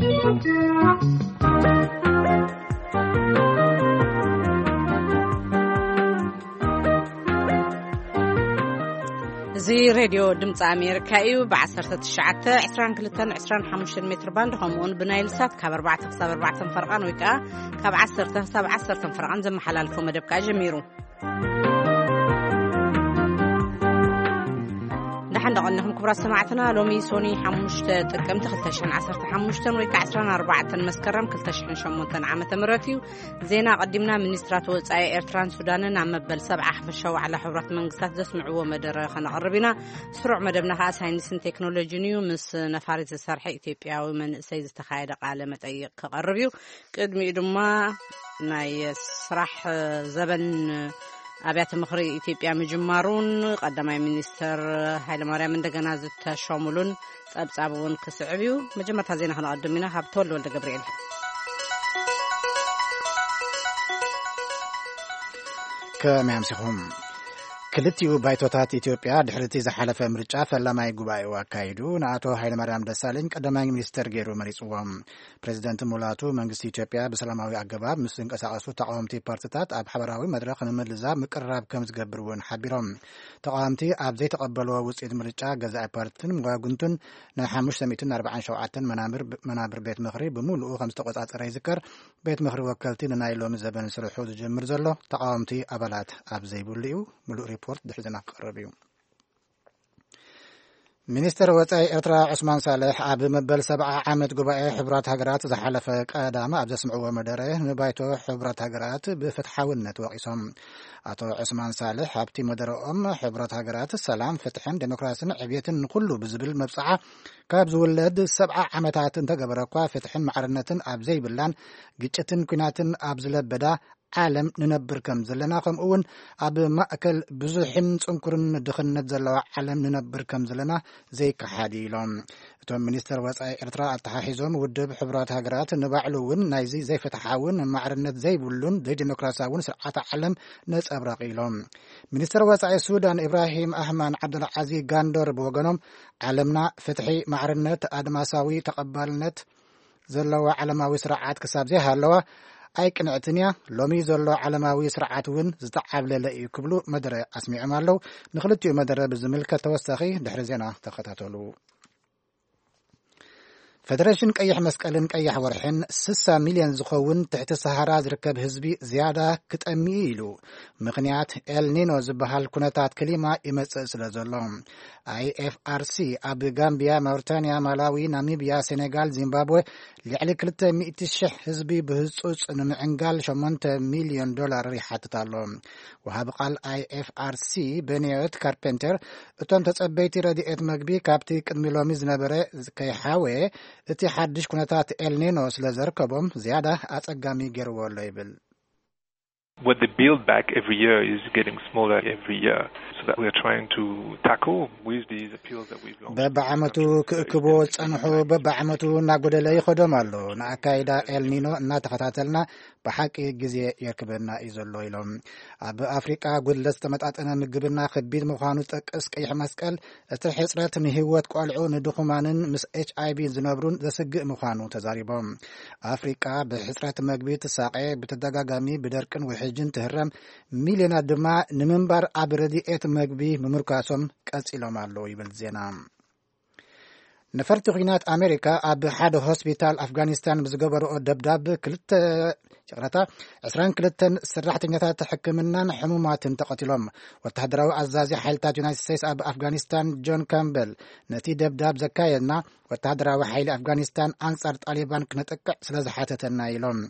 እዚ ሬድዮ ድምፂ ኣሜሪካ እዩ። ብ1922-25 ሜትር ባንድ፣ ከምኡውን ብናይል ሳት ካብ ኣርባዕተ ክሳብ ኣርባዕተ ፈርቓን ወይ ከዓ ካብ ዓሰርተ ክሳብ ዓሰርተ ፈርቓን ዘመሓላልፎ መደብ ከዓ ጀሚሩ። ደሓን ደቐንኹም ክቡራት ሰማዕትና። ሎሚ ሶኒ ሓሙሽተ ጥቅምቲ ክልተ ሽሕን ዓሰርተ ሓሙሽተን ወይ ከዓ ዕስራን ኣርባዕተን መስከረም ክልተ ሽሕን ሸሞንተን ዓመተ ምህረት እዩ። ዜና ኣቐዲምና። ሚኒስትራት ወጻኢ ኤርትራን ሱዳንን ኣብ መበል ሰብዓ ሓፈሻዊ ዋዕላ ሕቡራት መንግስታት ዘስምዕዎ መደረ ከነቕርብ ኢና። ስሩዕ መደብና ከኣ ሳይንስን ቴክኖሎጂን እዩ። ምስ ነፋሪት ዝሰርሐ ኢትዮጵያዊ መንእሰይ ዝተኻየደ ቃለ መጠይቕ ክቐርብ እዩ። ቅድሚኡ ድማ ናይ ስራሕ ዘበን ኣብያተ ምኽሪ ኢትዮጵያ ምጅማሩን ቀዳማይ ሚኒስትር ሃይለማርያም እንደገና ዝተሸሙሉን ጸብጻብ እውን ክስዕብ እዩ። መጀመርታ ዜና ክነቐድም ኢና። ካብ ተወልደ ወልደ ገብርኤል። ከመይ ኣምሲኹም? ክልቲኡ ባይቶታት ኢትዮጵያ ድሕሪ እቲ ዝሓለፈ ምርጫ ፈላማይ ጉባኤኡ ኣካይዱ፣ ንኣቶ ሃይለማርያም ደሳለኝ ቀዳማይ ሚኒስትር ገይሩ መሪጽዎም። ፕሬዚደንት ሙላቱ መንግስቲ ኢትዮጵያ ብሰላማዊ ኣገባብ ምስ ዝንቀሳቐሱ ተቃወምቲ ፓርቲታት ኣብ ሓበራዊ መድረኽ ንምልዛብ ምቅርራብ ከም ዝገብር እውን ሓቢሮም። ተቃወምቲ ኣብ ዘይተቐበልዎ ውፅኢት ምርጫ፣ ገዛኢ ፓርቲን መዋግንቱን ናይ ሓሙሽተ ሚእትን ኣርባዓን ሸውዓተን መናብር፣ መናብር ቤት ምኽሪ ብምሉኡ ከም ዝተቆጻጸረ ይዝከር። ቤት ምኽሪ ወከልቲ ንናይ ሎሚ ዘበን ስርሑ ዝጀምር ዘሎ ተቃወምቲ ኣባላት ኣብ ዘይብሉ እዩ። ምሉእ ሪፖርት ድሕሪ ዜና ክቐርብ እዩ። ሚኒስትር ወጻኢ ኤርትራ ዑስማን ሳልሕ ኣብ መበል ሰብዓ ዓመት ጉባኤ ሕቡራት ሃገራት ዝሓለፈ ቀዳም ኣብ ዘስምዕዎ መደረ፣ ንባይቶ ሕቡራት ሃገራት ብፍትሓውነት ወቒሶም። ኣቶ ዑስማን ሳልሕ ኣብቲ መደረኦም፣ ሕቡራት ሃገራት ሰላም፣ ፍትሕን ዴሞክራስን ዕብየትን ንኹሉ ብዝብል መብጽዓ ካብ ዝውለድ ሰብዓ ዓመታት እንተገበረ እኳ፣ ፍትሕን ማዕርነትን ኣብ ዘይብላን ግጭትን ኲናትን ኣብ ዝለበዳ ዓለም ንነብር ከም ዘለና፣ ከምኡ እውን ኣብ ማእከል ብዙሕን ጽንኩርን ድኽነት ዘለዋ ዓለም ንነብር ከም ዘለና ዘይከሓድ እዩ ኢሎም። እቶም ሚኒስትር ወጻኢ ኤርትራ ኣተሓሒዞም፣ ውድብ ሕቡራት ሃገራት ንባዕሉ እውን ናይዚ ዘይፍትሓውን ማዕርነት ዘይብሉን ዘይዲሞክራሲያውን ስርዓት ዓለም ነጸብራቕ ኢሎም። ሚኒስትር ወጻኢ ሱዳን ኢብራሂም ኣህማን ዓብደልዓዚ ጋንዶር ብወገኖም፣ ዓለምና ፍትሒ፣ ማዕርነት፣ ኣድማሳዊ ተቐባልነት ዘለዋ ዓለማዊ ስርዓት ክሳብ ዘይሃለዋ ኣይቅንዕትን እያ። ሎሚ ዘሎ ዓለማዊ ስርዓት እውን ዝተዓብለለ እዩ ክብሉ መደረ ኣስሚዖም ኣለዉ። ንክልቲኡ መደረ ብዝምልከት ተወሳኺ ድሕሪ ዜና ተኸታተሉ። ፌደሬሽን ቀይሕ መስቀልን ቀይሕ ወርሕን ስሳ ሚልዮን ዝኸውን ትሕቲ ሰሃራ ዝርከብ ህዝቢ ዝያዳ ክጠሚ እዩ ኢሉ። ምኽንያት ኤልኒኖ ዝበሃል ኩነታት ክሊማ ይመጽእ ስለ ዘሎ። ኣይኤፍኣርሲ ኣብ ጋምቢያ፣ ማውሪታንያ፣ ማላዊ፣ ናሚብያ፣ ሴኔጋል፣ ዚምባብወ ልዕሊ ክልተ ሚእቲ ሽሕ ህዝቢ ብህጹጽ ንምዕንጋል ሸሞንተ ሚልዮን ዶላር ይሓትት ኣሎ። ወሃቢ ቃል ኣይኤፍኣርሲ በኒዮት ካርፔንተር፣ እቶም ተጸበይቲ ረድኤት መግቢ ካብቲ ቅድሚ ሎሚ ዝነበረ ከይሓወየ፣ እቲ ሓድሽ ኩነታት ኤልኒኖ ስለ ዘርከቦም ዝያዳ ኣጸጋሚ ገይርዎ ኣሎ ይብል። What they build back every year is getting smaller every year. So that we are trying to tackle with these appeals that we've launched. በብዓመቱ ክእክቦ ዝጸንሑ በብዓመቱ እናጎደለ ይኸዶም ኣሎ። ንኣካይዳ ኤልኒኖ እናተኸታተልና ብሓቂ ግዜ የርክበና እዩ ዘሎ ኢሎም። ኣብ ኣፍሪቃ ጉድለት ዝተመጣጠነ ምግብና ከቢድ ምዃኑ ዝጠቅስ ቀይሕ መስቀል፣ እቲ ሕጽረት ንህይወት ቆልዑ፣ ንድኹማንን ምስ ኤች ኣይ ቪ ዝነብሩን ዘስግእ ምዃኑ ተዛሪቦም። ኣፍሪቃ ብሕጽረት መግቢ ትሳቐ፣ ብተደጋጋሚ ብደርቅን ውሕጅን ትህረም፣ ሚልዮናት ድማ ንምንባር ኣብ ረድኤት መግቢ ምምርኳሶም ቀጺሎም ኣለዉ ይብል ዜና። ነፈርቲ ኲናት ኣሜሪካ ኣብ ሓደ ሆስፒታል ኣፍጋኒስታን ብዝገበርኦ ደብዳብ ክልተ፣ ይቕረታ፣ ዕስራን ክልተን ሰራሕተኛታት ሕክምናን ሕሙማትን ተቐቲሎም። ወተሃደራዊ ኣዛዚ ሓይልታት ዩናይትድ ስቴትስ ኣብ ኣፍጋኒስታን ጆን ካምበል፣ ነቲ ደብዳብ ዘካየድና ወተሃደራዊ ሓይሊ ኣፍጋኒስታን ኣንጻር ጣሊባን ክነጥቅዕ ስለ ዝሓተተና ኢሎም።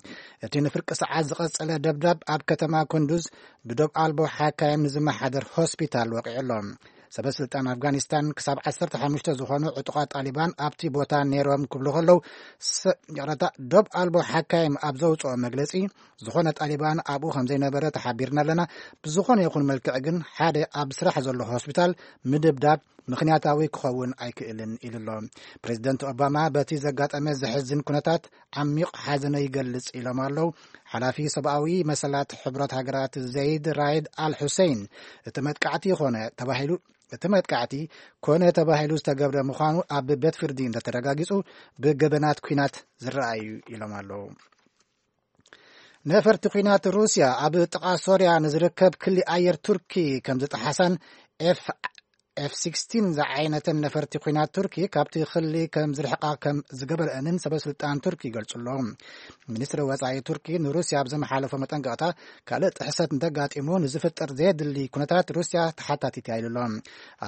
እቲ ንፍርቂ ሰዓት ዝቐጸለ ደብዳብ ኣብ ከተማ ኩንዱዝ ብዶብ ኣልቦ ሓካይም ንዝመሓደር ሆስፒታል ወቂዑ ኣሎ። ሰበ ስልጣን ኣፍጋኒስታን ክሳብ ዓሰርተ ሓሙሽተ ዝኾኑ ዕጡቓት ጣሊባን ኣብቲ ቦታ ነይሮም ክብሉ ከለዉ፣ ሰ-፣ ይቕረታ፣ ዶብ ኣልቦ ሓካይም ኣብ ዘውፅኦ መግለፂ፣ ዝኾነ ጣሊባን ኣብኡ ከም ዘይነበረ ተሓቢርና ኣለና። ብዝኾነ ይኹን መልክዕ ግን ሓደ ኣብ ስራሕ ዘሎ ሆስፒታል ምድብዳብ ምኽንያታዊ ክኸውን ኣይክእልን ኢሉ ኣሎ። ፕሬዚደንት ኦባማ በቲ ዘጋጠመ ዘሕዝን ኩነታት ዓሚቕ ሓዘነ ይገልጽ ኢሎም ኣለዉ። ሓላፊ ሰብኣዊ መሰላት ሕቡራት ሃገራት ዘይድ ራይድ ኣል ሑሴን፣ እቲ መጥቃዕቲ ኮነ ተባሂሉ እቲ መጥቃዕቲ ኮነ ተባሂሉ ዝተገብረ ምዃኑ ኣብ ቤት ፍርዲ እንተተረጋጊጹ፣ ብገበናት ኲናት ዝረኣዩ ኢሎም ኣለዉ። ነፈርቲ ኲናት ሩስያ ኣብ ጥቓ ሶርያ ንዝርከብ ክሊ ኣየር ቱርኪ ከም ዝጠሓሳን ኤፍ ኤፍ ሲክስቲን ዝዓይነተን ነፈርቲ ኲናት ቱርኪ ካብቲ ክሊ ከም ዝርሕቃ ከም ዝገበረአንን ሰበ ስልጣን ቱርኪ ይገልጹ ኣለዉ። ሚኒስትሪ ወጻኢ ቱርኪ ንሩስያ ኣብ ዝመሓለፎ መጠንቀቕታ፣ ካልእ ጥሕሰት እንተጋጢሙ ንዝፍጠር ዘየድሊ ኩነታት ሩስያ ተሓታቲት እያ ኢሉ ኣሎ።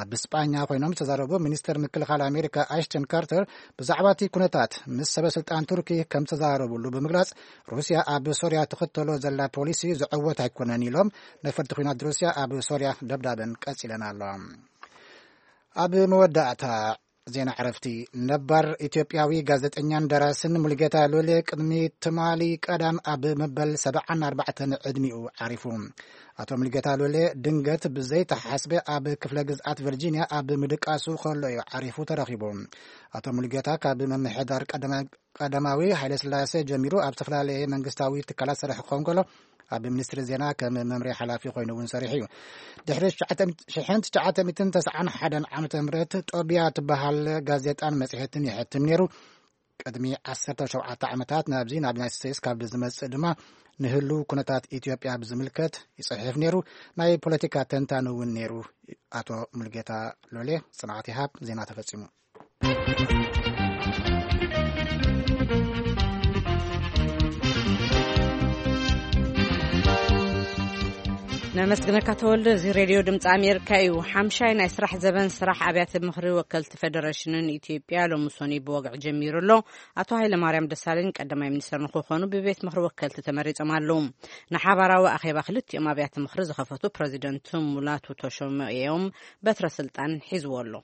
ኣብ ስጳኛ ኮይኖም ዝተዛረቡ ሚኒስትር ምክልኻል ኣሜሪካ ኣሽተን ካርተር ብዛዕባ እቲ ኩነታት ምስ ሰበ ስልጣን ቱርኪ ከም ዝተዛረቡሉ ብምግላጽ፣ ሩስያ ኣብ ሶርያ ትኽተሎ ዘላ ፖሊሲ ዝዕወት ኣይኮነን ኢሎም፣ ነፈርቲ ኲናት ሩስያ ኣብ ሶርያ ደብዳበን ቀጺለን ኣሎ። ኣብ መወዳእታ ዜና ዕረፍቲ፣ ነባር ኢትዮጵያዊ ጋዜጠኛን ደራስን ሙሉጌታ ሉሌ ቅድሚ ትማሊ ቀዳም ኣብ መበል ሰብዓን ኣርባዕተን ዕድሚኡ ዓሪፉ። ኣቶ ሙሉጌታ ሉሌ ድንገት ብዘይተሓስበ ኣብ ክፍለ ግዝኣት ቨርጂኒያ ኣብ ምድቃሱ ከሎ እዩ ዓሪፉ ተረኺቡ። ኣቶ ሙሉጌታ ካብ ምምሕዳር ቀደማ-፣ ቀዳማዊ ሃይለስላሴ ጀሚሩ ኣብ ዝተፈላለየ መንግስታዊ ትካላት ዝሰርሕ ክኸውን ከሎ፣ ኣብ ሚኒስትሪ ዜና ከም መምርሒ ሓላፊ ኮይኑ እውን ሰሪሑ እዩ። ድሕሪ ሽሕን ትሽዓተ ሚእትን ተስዓን ሓደን ዓመተ ምህረት ጦቢያ ትበሃል ጋዜጣን መጽሔትን ይሕትም ነይሩ። ቅድሚ ዓሰርተ ሸውዓተ ዓመታት ናብዚ ናብ ዩናይትድ ስቴትስ ካብ ዝመጽእ ድማ ንህሉ ኩነታት ኢትዮጵያ ብዝምልከት ይጽሕፍ ነይሩ። ናይ ፖለቲካ ተንታኒ እውን ነይሩ። ኣቶ ሙልጌታ ሎሌ፣ ጽንዓት ይሃብ። ዜና ተፈጺሙ። ነመስግነካ ተወልደ። እዚ ሬድዮ ድምፂ ኣሜሪካ እዩ። ሓምሻይ ናይ ስራሕ ዘበን ስራሕ ኣብያተ ምኽሪ ወከልቲ ፌደሬሽንን ኢትዮጵያ ሎሚ ሰኑይ ብወግዒ ጀሚሩ ኣሎ። ኣቶ ሃይለማርያም ደሳለኝ ቀዳማይ ሚኒስትር ንክኾኑ ብቤት ምኽሪ ወከልቲ ተመሪጾም ኣለዉ። ንሓባራዊ ኣኼባ ክልቲኦም ኣብያተ ምኽሪ ዝኸፈቱ ፕረዚደንት ሙላቱ ተሾመ እዮም በትረ ስልጣን ሒዝዎ ኣሎ።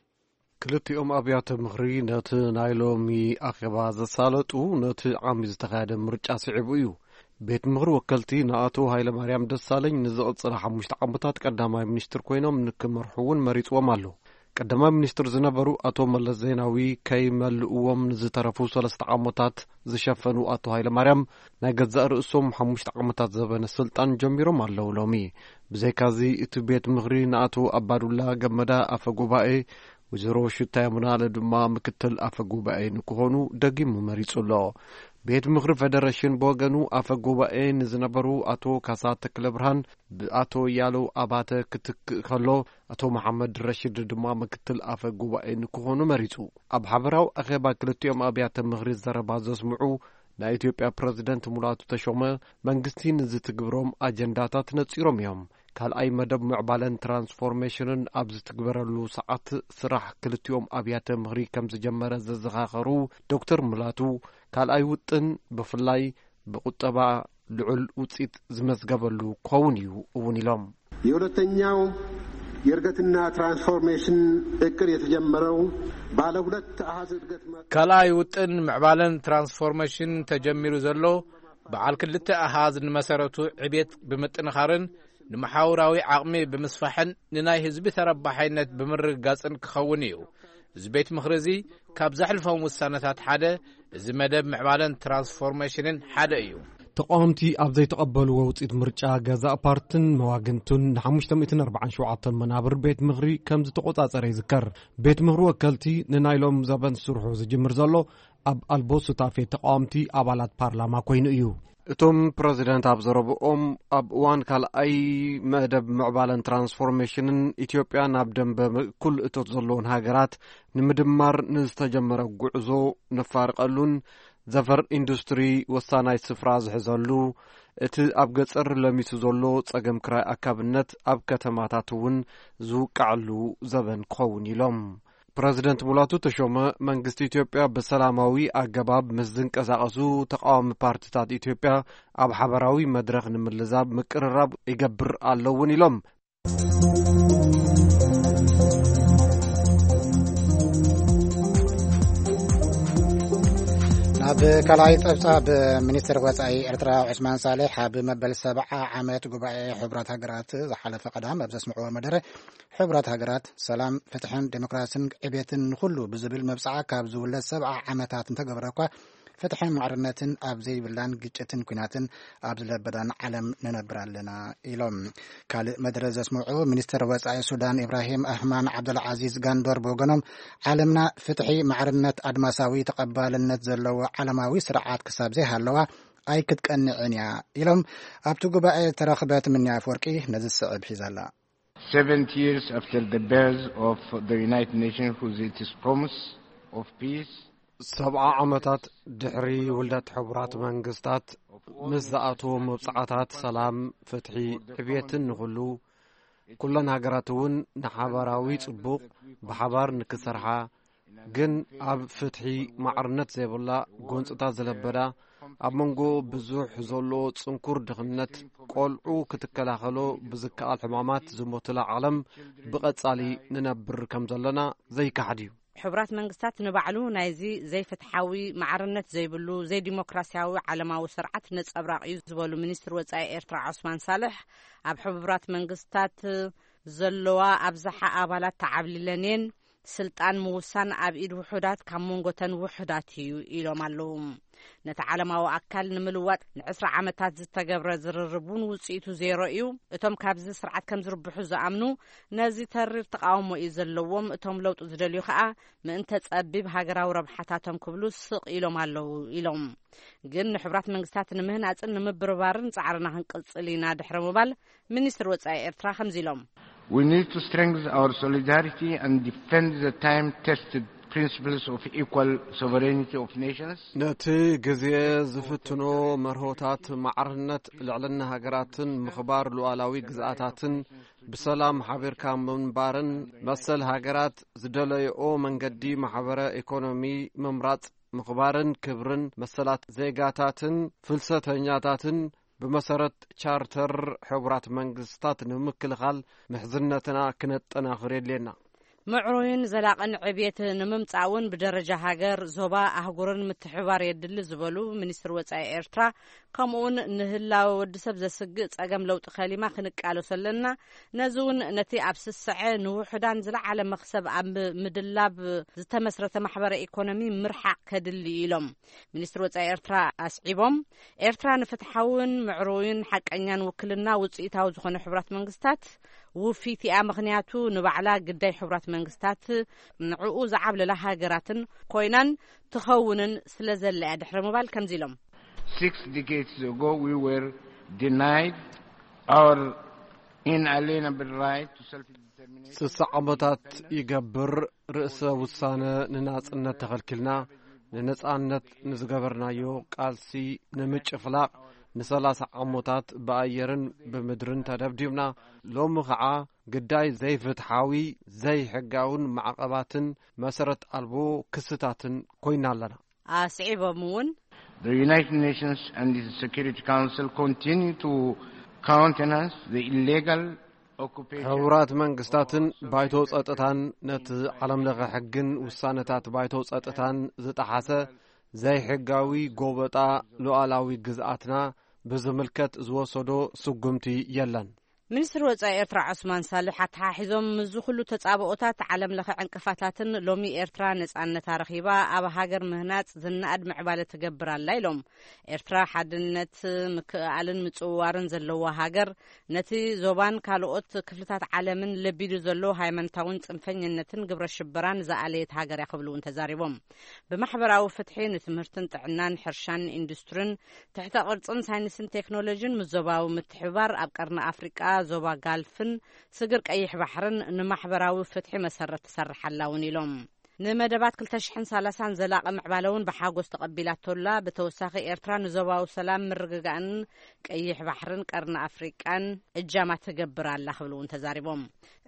ክልቲኦም ኣብያተ ምኽሪ ነቲ ናይ ሎሚ ኣኼባ ዘሳለጡ ነቲ ዓሚ ዝተኻየደ ምርጫ ስዒቡ እዩ። ቤት ምኽሪ ወከልቲ ንኣቶ ሃይለማርያም ደሳለኝ ንዝቕጽላ ሓሙሽተ ዓመታት ቀዳማይ ሚኒስትር ኮይኖም ንክመርሑ እውን መሪጽዎም ኣሎ። ቀዳማይ ሚኒስትር ዝነበሩ ኣቶ መለስ ዜናዊ ከይመልእዎም ንዝተረፉ ሰለስተ ዓመታት ዝሸፈኑ ኣቶ ሃይለማርያም ናይ ገዛእ ርእሶም ሓሙሽተ ዓመታት ዘበነ ስልጣን ጀሚሮም ኣለዉ። ሎሚ ብዘይካዚ እቲ ቤት ምኽሪ ንኣቶ ኣባዱላ ገመዳ ኣፈ ጉባኤ፣ ወይዘሮ ሽታ የሙናለ ድማ ምክትል ኣፈ ጉባኤ ንክኾኑ ደጊሙ መሪጹ ኣሎ። ቤት ምኽሪ ፌደሬሽን ብወገኑ ኣፈ ጉባኤ ንዝነበሩ ኣቶ ካሳ ተክለ ብርሃን ብኣቶ ያለው ኣባተ ክትክእ ከሎ፣ ኣቶ መሓመድ ረሽድ ድማ ምክትል ኣፈ ጉባኤ ንክኾኑ መሪጹ። ኣብ ሓበራዊ ኣኼባ ክልቲኦም ኣብያተ ምኽሪ ዘረባ ዘስምዑ ናይ ኢትዮጵያ ፕረዚደንት ሙላቱ ተሾመ፣ መንግስቲ ንዝትግብሮም ኣጀንዳታት ነጺሮም እዮም። ካልኣይ መደብ ምዕባለን ትራንስፎርሜሽንን ኣብ ዝትግበረሉ ሰዓት ስራሕ ክልቲኦም ኣብያተ ምኽሪ ከም ዝጀመረ ዘዘኻኸሩ ዶክተር ሙላቱ፣ ካልኣይ ውጥን ብፍላይ ብቁጠባ ልዑል ውጽኢት ዝመዝገበሉ ክኸውን እዩ እውን ኢሎም። የሁለተኛው የእድገትና ትራንስፎርሜሽን እቅድ የተጀመረው ባለ ሁለት አሃዝ እድገት መ- ካልኣይ ውጥን ምዕባለን ትራንስፎርሜሽን ተጀሚሩ ዘሎ በዓል ክልተ ኣሃዝ ንመሰረቱ ዕቤት ብምጥንኻርን ንመሓውራዊ ዓቕሚ ብምስፋሕን ንናይ ህዝቢ ተረባሓይነት ብምርግጋጽን ክኸውን እዩ። እዚ ቤት ምኽሪ እዚ ካብ ዘሕልፎም ውሳነታት ሓደ እዚ መደብ ምዕባለን ትራንስፎርሜሽንን ሓደ እዩ። ተቃወምቲ ኣብ ዘይተቐበልዎ ውፅኢት ምርጫ ገዛእ ፓርትን መዋግንቱን ን ሓሙሽተ ሚእትን ኣርባዓን ሸውዓተን መናብር ቤት ምኽሪ ከም ዝተቆጻጸረ ይዝከር። ቤት ምኽሪ ወከልቲ ንናይ ሎም ዘበን ስርሑ ዝጅምር ዘሎ ኣብ ኣልቦ ሱታፌ ተቃወምቲ ኣባላት ፓርላማ ኮይኑ እዩ። እቶም ፕረዚደንት ኣብ ዘረብኦም፣ ኣብ እዋን ካልኣይ መደብ ምዕባለን ትራንስፎርሜሽንን ኢትዮጵያ ናብ ደንበ እኩል እቶት ዘለዎን ሃገራት ንምድማር ንዝተጀመረ ጉዕዞ ነፋርቀሉን ዘፈር ኢንዱስትሪ ወሳናይ ስፍራ ዝሕዘሉ፣ እቲ ኣብ ገጸር ለሚሱ ዘሎ ጸገም ክራይ ኣካብነት ኣብ ከተማታት እውን ዝውቃዐሉ ዘበን ክኸውን ኢሎም። ፕረዚደንት ሙላቱ ተሾመ፣ መንግስቲ ኢትዮጵያ ብሰላማዊ ኣገባብ ምስ ዝንቀሳቐሱ ተቃዋሚ ፓርቲታት ኢትዮጵያ ኣብ ሓበራዊ መድረኽ ንምልዛብ ምቅርራብ ይገብር ኣሎ እውን ኢሎም። ኣብ ካልኣይ ጸብጻብ፣ ሚኒስትር ወጻኢ ኤርትራ ዑስማን ሳልሕ ኣብ መበል ሰብዓ ዓመት ጉባኤ ሕቡራት ሃገራት ዝሓለፈ ቀዳም ኣብ ዘስምዕዎ መደረ፣ ሕቡራት ሃገራት ሰላም፣ ፍትሕን ዴሞክራስን ዕቤትን ንኹሉ ብዝብል መብጽዓ ካብ ዝውለድ ሰብዓ ዓመታት እንተገበረ እኳ፣ ፍትሕን ማዕርነትን ኣብ ዘይብላን ግጭትን ኲናትን ኣብ ዝለበዳን ዓለም ንነብር ኣለና ኢሎም። ካልእ መደረ ዘስምዑ ሚኒስትር ወጻኢ ሱዳን ኢብራሂም ኣህማን ዓብደልዓዚዝ ጋንዶር ብወገኖም፣ ዓለምና ፍትሒ፣ ማዕርነት፣ ኣድማሳዊ ተቐባልነት ዘለዎ ዓለማዊ ስርዓት ክሳብ ዘይሃለዋ ኣይክትቀንዕን እያ ኢሎም። ኣብቲ ጉባኤ ዝተረኽበት ምንያ ኣፍወርቂ ነዚ ዝስዕብ ሒዛላ። Seventy years after the birth of the United Nations, with its promise of peace, ሰብዓ ዓመታት ድሕሪ ውልደት ሕቡራት መንግስታት፣ ምስ ዝኣትዎ መብጽዓታት ሰላም፣ ፍትሒ፣ ዕብየትን ንኹሉ፣ ኩለን ሃገራት እውን ንሓባራዊ ጽቡቕ ብሓባር ንክሰርሓ፣ ግን ኣብ ፍትሒ ማዕርነት ዘይብላ፣ ጎንጽታት ዝለበዳ፣ ኣብ መንጎ ብዙሕ ዘሎ ጽንኩር ድኽነት፣ ቆልዑ ክትከላኸሎ ብዝከኣል ሕማማት ዝሞትላ ዓለም ብቐጻሊ ንነብር ከም ዘለና ዘይከሓድ እዩ። ሕቡራት መንግስታት ንባዕሉ ናይዚ ዘይፍትሓዊ፣ ማዕርነት ዘይብሉ፣ ዘይዲሞክራሲያዊ ዓለማዊ ስርዓት ነጸብራቕ እዩ ዝበሉ ሚኒስትር ወጻኢ ኤርትራ ዖስማን ሳልሕ፣ ኣብ ሕቡራት መንግስታት ዘለዋ ኣብዝሓ ኣባላት ተዓብሊለን እየን፣ ስልጣን ምውሳን ኣብ ኢድ ውሑዳት ካብ መንጎተን ውሑዳት እዩ ኢሎም ኣለዉ። ነቲ ዓለማዊ ኣካል ንምልዋጥ ንዕስራ ዓመታት ዝተገብረ ዝርርብ እውን ውጽኢቱ ዜሮ እዩ። እቶም ካብዚ ስርዓት ከም ዝርብሑ ዝኣምኑ፣ ነዚ ተሪር ተቓውሞ እዩ ዘለዎም፣ እቶም ለውጢ ዝደልዩ ከኣ ምእንተ ጸቢብ ሃገራዊ ረብሓታቶም ክብሉ ስቕ ኢሎም ኣለዉ ኢሎም። ግን ንሕቡራት መንግስታት ንምህናጽን ንምብርባርን ጻዕርና ክንቅጽል ኢና ድሕሪ ምባል፣ ሚኒስትር ወጻኢ ኤርትራ ከምዚ ኢሎም። We need to strengthen our solidarity and defend the time-tested principles of equal sovereignty of nations. ነቲ ግዜ ዝፍትኖ መርሆታት ማዕርነት ልዕልና ሃገራትን ምኽባር ሉዓላዊ ግዝኣታትን ብሰላም ሓቢርካ ምንባርን መሰል ሃገራት ዝደለይኦ መንገዲ ማሕበረ ኢኮኖሚ ምምራጽ ምኽባርን ክብርን መሰላት ዜጋታትን ፍልሰተኛታትን ብመሰረት ቻርተር ሕቡራት መንግስታት ንምክልኻል ምሕዝነትና ክነጠናኽር የድልየና። ምዕሩይን ዘላቕን ዕብየት ንምምጻእ እውን ብደረጃ ሃገር፣ ዞባ፣ ኣህጉርን ምትሕብባር የድሊ ዝበሉ ሚኒስትር ወጻኢ ኤርትራ፣ ከምኡውን ንህላወ ወዲ ሰብ ዘስግእ ጸገም ለውጢ ከሊማ ክንቃለሶ ኣለና። ነዚ እውን ነቲ ኣብ ስስዐ ንውሑዳን ዝለዓለ መኽሰብ ኣብ ምድላብ ዝተመስረተ ማሕበረ ኢኮኖሚ ምርሓቕ ከድሊ ኢሎም። ሚኒስትር ወጻኢ ኤርትራ ኣስዒቦም፣ ኤርትራ ንፍትሓውን ምዕሩይን ሓቀኛን ውክልና ውጽኢታዊ ዝኾነ ሕቡራት መንግስታት ውፊት እያ። ምኽንያቱ ንባዕላ ግዳይ ሕቡራት መንግስታት ንዕኡ ዝዓብለላ ሃገራትን ኮይናን ትኸውንን ስለ ዘላ እያ ድሕሪ ምባል ከምዚ ኢሎም። Six decades ago, we were denied our inalienable right to self-determination. ስሳ ዓመታት ይገብር ርእሰ ውሳነ ንናጽነት ተኸልኪልና፣ ንነጻነት ንዝገበርናዮ ቃልሲ ንምጭፍላቕ ንሰላሳ ዓመታት ብኣየርን ብምድርን ተደብዲብና። ሎሚ ኸዓ ግዳይ ዘይፍትሓዊ፣ ዘይሕጋውን ማዕቐባትን መሰረት ኣልቦ ክስታትን ኮይና ኣለና። ኣስዒቦም እውን፣ The United Nations and the Security Council continue to countenance the illegal occupation. ሕቡራት መንግስታትን ባይቶ ጸጥታን ነቲ ዓለም ለኸ ሕግን ውሳነታት ባይቶ ጸጥታን ዝጠሓሰ ዘይሕጋዊ ጎበጣ ሉዓላዊ ግዝኣትና ብዝምልከት ዝወሰዶ ስጉምቲ የለን። ሚኒስትር ወጻኢ ኤርትራ ዑስማን ሳልሕ ኣተሓሒዞም፣ ምስዚ ኩሉ ተጻብኦታት፣ ዓለም ለኸ ዕንቅፋታትን ሎሚ ኤርትራ ነጻነታ ረኺባ ኣብ ሃገር ምህናጽ ዝነኣድ ምዕባለ ትገብር ኣላ ኢሎም። ኤርትራ ሓድነት፣ ምክእኣልን ምጽውዋርን ዘለዋ ሃገር፣ ነቲ ዞባን ካልኦት ክፍልታት ዓለምን ለቢዱ ዘሎ ሃይማኖታውን ጽንፈኝነትን ግብረ ሽበራን ዝኣለየት ሃገር እያ ክብሉ እውን ተዛሪቦም። ብማሕበራዊ ፍትሒ፣ ንትምህርትን ጥዕናን፣ ሕርሻን ኢንዱስትሪን፣ ትሕተ ቅርጽን ሳይንስን ቴክኖሎጂን፣ ምስ ዞባዊ ምትሕብባር ኣብ ቀርኒ ኣፍሪቃ፣ ዞባ ጋልፍን ስግር ቀይሕ ባሕርን ንማሕበራዊ ፍትሒ መሰረት ትሰርሕ ኣላ እውን ኢሎም። ንመደባት ክልተ ሽሕን ሰላሳን ዘላቒ ምዕባለ እውን ብሓጎስ ተቐቢላቶላ። ብተወሳኺ ኤርትራ ንዞባዊ ሰላም ምርግጋእን ቀይሕ ባሕርን ቀርኒ ኣፍሪቃን እጃማ ትገብር ኣላ ክብሉ እውን ተዛሪቦም።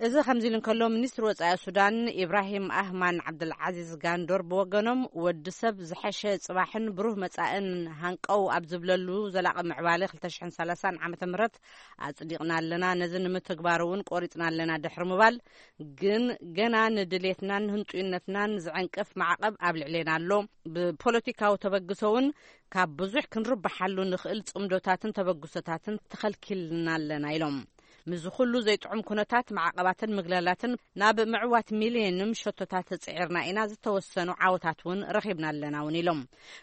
እዚ ከምዚ ኢሉ እንከሎ፣ ሚኒስትሪ ወጻኢ ሱዳን ኢብራሂም ኣህማን ዓብደልዓዚዝ ጋንዶር ብወገኖም፣ ወዲ ሰብ ዝሐሸ ጽባሕን ብሩህ መጻእን ሃንቀው ኣብ ዝብለሉ ዘላቒ ምዕባለ ክልተ ሽሕን ሰላሳን ዓመተ ምህረት ኣጽዲቕና ኣለና፣ ነዚ ንምትግባር እውን ቆሪጽና ኣለና ድሕሪ ምባል፣ ግን ገና ንድሌትናን ህንጡይነትና ሱዳን ዝዕንቅፍ ማዕቐብ ኣብ ልዕሌና ኣሎ። ብፖለቲካዊ ተበግሶ እውን ካብ ብዙሕ ክንርብሓሉ ንኽእል ጽምዶታትን ተበግሶታትን ተኸልኪልና ኣለና ኢሎም። ምስዚ ኩሉ ዘይጥዑም ኩነታት ማዕቐባትን ምግላላትን ናብ ምዕዋት ሚልዮንም ሸቶታት ጽዒርና ኢና፣ ዝተወሰኑ ዓወታት እውን ረኺብና ኣለና እውን ኢሎም።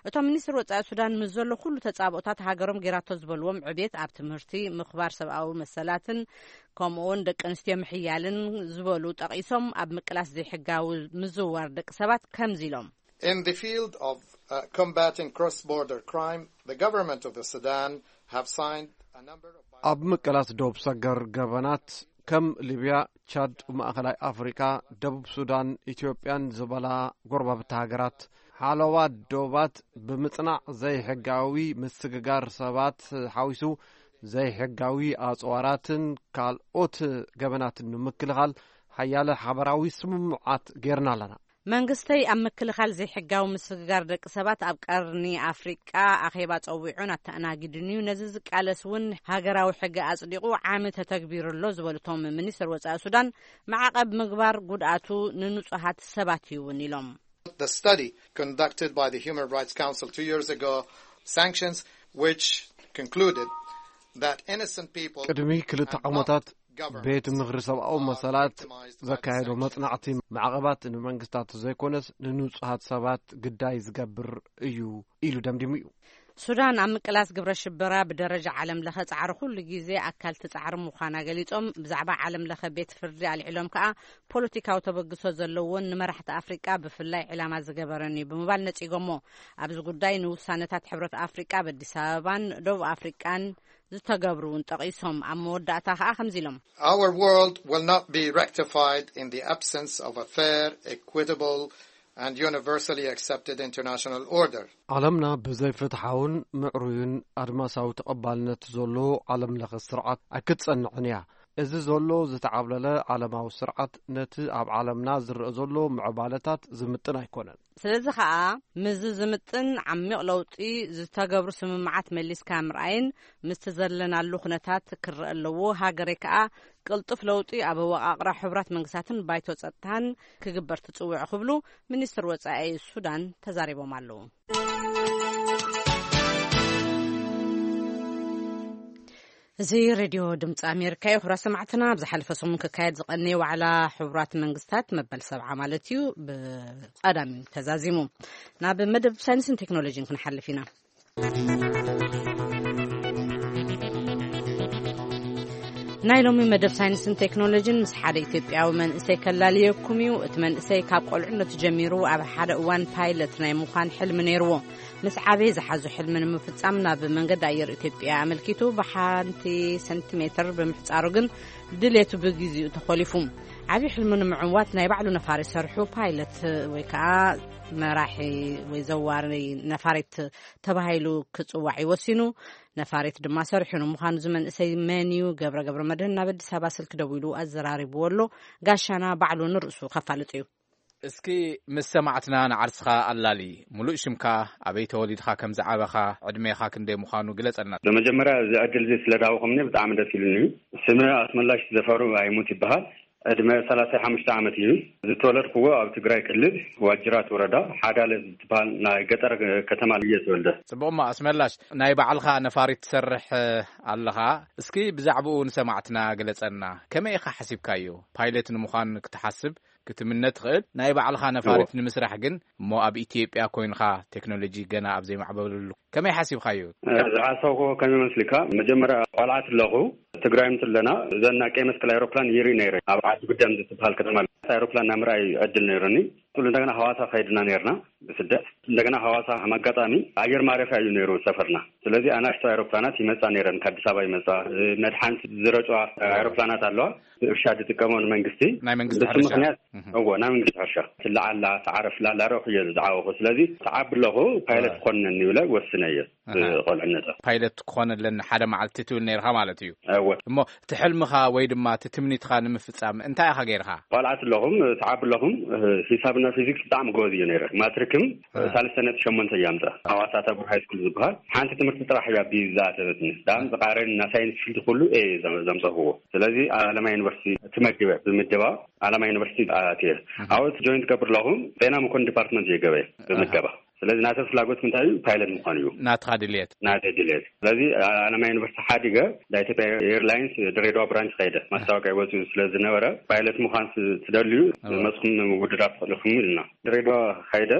እቶም ሚኒስትር ወጻኢ ሱዳን ምስ ዘሎ ኩሉ ተጻብኦታት ሃገሮም ጌራቶ ዝበልዎም ዕብየት ኣብ ትምህርቲ፣ ምኽባር ሰብኣዊ መሰላትን ከምኡውን ደቂ ኣንስትዮ ምሕያልን ዝበሉ ጠቒሶም፣ ኣብ ምቅላስ ዘይሕጋዊ ምዝውዋር ደቂ ሰባት ከምዚ ኢሎም። In the field of uh, combating cross-border crime, the government of the Sudan have signed a number of ኣብ ምቅላስ ዶብ ሰገር ገበናት ከም ሊብያ፣ ቻድ፣ ማእኸላይ ኣፍሪቃ፣ ደቡብ ሱዳን፣ ኢትዮጵያን ዝበላ ጎረባብቲ ሃገራት ሓለዋ ዶባት ብምጽናዕ ዘይሕጋዊ ምስግጋር ሰባት ሓዊሱ ዘይሕጋዊ ኣጽዋራትን ካልኦት ገበናትን ንምክልኻል ሓያለ ሓበራዊ ስምምዓት ጌርና ኣለና። መንግስተይ ኣብ ምክልኻል ዘይሕጋዊ ምስግጋር ደቂ ሰባት ኣብ ቀርኒ ኣፍሪቃ ኣኼባ ጸዊዑን ኣተኣናጊዱን እዩ። ነዚ ዝቃለስ እውን ሃገራዊ ሕጊ ኣጽዲቑ ዓሚ ተተግቢሩ ኣሎ ዝበሉ እቶም ሚኒስትር ወጻኢ ሱዳን፣ ማዕቐብ ምግባር ጉድኣቱ ንንጹሃት ሰባት እዩ እውን ኢሎም። The study conducted by the Human Rights Council two years ago sanctions, which concluded that innocent people ቅድሚ ክልተ ዓመታት ቤት ምኽሪ ሰብኣዊ መሰላት ዘካየዶ መጽናዕቲ፣ ማዕቐባት ንመንግስታት ዘይኮነስ ንንጹሃት ሰባት ግዳይ ዝገብር እዩ ኢሉ ደምዲሙ እዩ። ሱዳን ኣብ ምቅላስ ግብረ ሽበራ ብደረጃ ዓለም ለኸ ጻዕሪ ኩሉ ግዜ ኣካል ትጻዕሪ ምዃና ገሊጾም፣ ብዛዕባ ዓለም ለኸ ቤት ፍርዲ ኣልዒሎም ከኣ ፖለቲካዊ ተበግሶ ዘለዎን ንመራሕቲ ኣፍሪቃ ብፍላይ ዕላማ ዝገበረን እዩ ብምባል ነጺጎሞ። ኣብዚ ጉዳይ ንውሳነታት ሕብረት ኣፍሪቃ ኣብ ኣዲስ ኣበባን ደቡብ ኣፍሪቃን ዝተገብሩ እውን ጠቒሶም፣ ኣብ መወዳእታ ከኣ ከምዚ ኢሎም። Our world will not be rectified in the absence of a fair, equitable, and universally accepted international order. ዓለምና ብዘይፍትሓውን ምዕሩይን ኣድማሳዊ ተቐባልነት ዘሎ ዓለም ለኸ ስርዓት ኣይክትጸንዕን እያ። እዚ ዘሎ ዝተዓብለለ ዓለማዊ ስርዓት ነቲ ኣብ ዓለምና ዝረአ ዘሎ ምዕባለታት ዝምጥን ኣይኮነን። ስለዚ ከኣ ምስዚ ዝምጥን ዓሚቕ ለውጢ ዝተገብሩ ስምምዓት መሊስካ ምርኣይን ምስቲ ዘለናሉ ኩነታት ክረአ ኣለዎ። ሃገረይ ከኣ ቅልጡፍ ለውጢ ኣብ ኣወቓቕራ ሕቡራት መንግስታትን ባይቶ ጸጥታን ክግበር ትጽውዕ ክብሉ ሚኒስትር ወጻኢ ሱዳን ተዛሪቦም ኣለዉ። እዚ ሬድዮ ድምፂ ኣሜሪካ እዩ። ክቡራት ሰማዕትና፣ ኣብ ዝሓለፈ ሰሙን ክካየድ ዝቐነየ ዋዕላ ሕቡራት መንግስታት መበል ሰብዓ ማለት እዩ፣ ብቐዳም እዩ ተዛዚሙ። ናብ መደብ ሳይንስን ቴክኖሎጂን ክንሓልፍ ኢና። ናይ ሎሚ መደብ ሳይንስን ቴክኖሎጂን ምስ ሓደ ኢትዮጵያዊ መንእሰይ ከላልየኩም እዩ። እቲ መንእሰይ ካብ ቆልዕነቱ ጀሚሩ ኣብ ሓደ እዋን ፓይለት ናይ ምዃን ሕልሚ ነይርዎ። ምስ ዓበየ ዝሓዞ ሕልሚ ንምፍጻም ናብ መንገዲ ኣየር ኢትዮጵያ ኣመልኪቱ ብሓንቲ ሰንቲሜትር ብምሕጻሩ ግን ድሌቱ ብግዜኡ ተኾሊፉ። ዓብዪ ሕልሚ ንምዕዋት ናይ ባዕሉ ነፋሪት ሰርሑ ፓይለት ወይ ከዓ መራሒ ወይ ዘዋሪ ነፋሪት ተባሂሉ ክጽዋዕ እዩ ወሲኑ። ነፋሪት ድማ ሰሪሑ ንምዃኑ እዚ መንእሰይ መን እዩ? ገብረ ገብረ መድህን ናብ ኣዲስ ኣበባ ስልኪ ደዊሉ ኣዘራሪብዎ ኣሎ። ጋሻና ባዕሉ ንርእሱ ከፋልጥ እዩ። እስኪ ምስ ሰማዕትና ንዓርስኻ ኣላሊ። ሙሉእ ሽምካ፣ ኣበይ ተወሊድኻ ከም ዝዓበኻ፣ ዕድሜኻ ክንደይ ምዃኑ ግለጸልና። ብመጀመርያ እዚ ዕድል እዚ ስለ ዳወኹምኒ ብጣዕሚ ደስ ኢሉኒ እዩ። ስመ ኣስመላሽ ዘፈሩ ኣይሙት ይበሃል። ዕድመ ሰላሳ ሓሙሽተ ዓመት እዩ። ዝተወለድኩዎ ኣብ ትግራይ ክልል ዋጅራት ወረዳ ሓዳለ ዝበሃል ናይ ገጠር ከተማ እየ ተወልደ። ጽቡቕ እሞ ኣስመላሽ፣ ናይ ባዕልኻ ነፋሪት ትሰርሕ ኣለኻ። እስኪ ብዛዕባኡ ንሰማዕትና ግለጸልና። ከመይ ኢኻ ሓሲብካዮ? ፓይለት ንምዃን ክትሓስብ ክትምነ ትኽእል። ናይ ባዕልኻ ነፋሪት እዎ። ንምስራሕ ግን እሞ ኣብ ኢትዮጵያ ኮይንኻ ቴክኖሎጂ ገና ኣብ ዘይማዕበለሉ ከመይ ሓሲብካዮ? እ፣ ዝሓሰብኩዎ ከመይ መስልካ? መጀመርያ ቆልዓ ትለኹ ትግራይ ምስ ኣለና እዘን ናይ ቀይ መስቀል ኣይሮፕላን ይርኢ ነይረ። ኣብ ዓዲ ጉደም ዝትበሃል ከተማ ኣይሮፕላን ናይ ምርኣይ ዕድል ነይሩኒ። ቁሉ እንደገና ሃዋሳ ከይድና ነይርና ብስደት። እንደገና ሃዋሳ ከም ኣጋጣሚ ኣየር ማረፊያ እዩ ነይሩ ሰፈርና። ስለዚ ኣናእሽቶ ኣይሮፕላናት ይመጻ ነይረን፣ ከኣዲስ ኣበባ ይመጻ። እ፣ መድሓኒት ዝረጫ ኣይሮፕላናት ኣለዋ። እርሻ ዝጥቀመው ንመንግስቲ። ናይ መንግስቲ ብሱ ሕርሻ። ምኽንያት፣ እዎ፣ ናይ መንግስቲ ሕርሻ። ትለዓላ፣ ትዓረፍላ፣ ላረኹ እየ ዝዓወኹ። ስለዚ፣ ትዓቢ ኣለኹ፣ ፓይለት እዎ። ክኾንነኒ ይብለ፣ ወስነ እየ። ኣሃ። ብቆልዕነተ። ፓይለት ክኾነለኒ ሓደ መዓልቲ ትብል ነይርኻ ማለት እዩ። እዎ። እሞ፣ እቲ ሕልምኻ ወይ ድማ እቲ ትምኒትኻ ንምፍጻም እንታይ ኢኻ ገይርኻ? ቆልዓት ኣለኹም፣ ትዓቢ ኣለኹም፣ እ፣ ሂሳብና ፊዚክስ ብጣዕሚ ጎበዝ እዩ ነይረ። ማትሪክ ሳልስተ ነጥቢ ሸሞንተ እያ ኣምፅኣ። ኣብ ኣሳታ ብር ሃይ ስኩል ዝበሃል ሓንቲ ትምህርቲ ጥራሕ እያ ቢ ዝኣተበትኒ። ዳም ዝቃረን እና ሳይንስ ፊልድ ኩሉ ኤ ዘም- ዘምፀኽዎ። ስለዚ ኣለማ ዩኒቨርሲቲ ትመድበ ብምደባ ኣለማ ዩኒቨርሲቲ ኣትየ። ኣብኡ ጆይን ትገብር ኣለኹ። ጤና መኮንን ዲፓርትመንት እየ ገበየ ብምደባ። ስለዚ ናተ ፍላጎት እንታይ እዩ? ፓይለት ምዃን እዩ። ናትኻ ድልየት። ናተ ድልየት። ስለዚ ኣለማ ዩኒቨርሲቲ ሓዲገ ናይ ኢትዮጵያ ኤርላይንስ ድሬዳዋ ብራንች ከይደ ማስታወቂያ ይወፅኡ ስለ ዝነበረ ፓይለት ምዃን ስ- ትደልዩ መፅኹም ምውድዳር ትኽእልኹም ኢልና ድሬዳዋ ከይደ።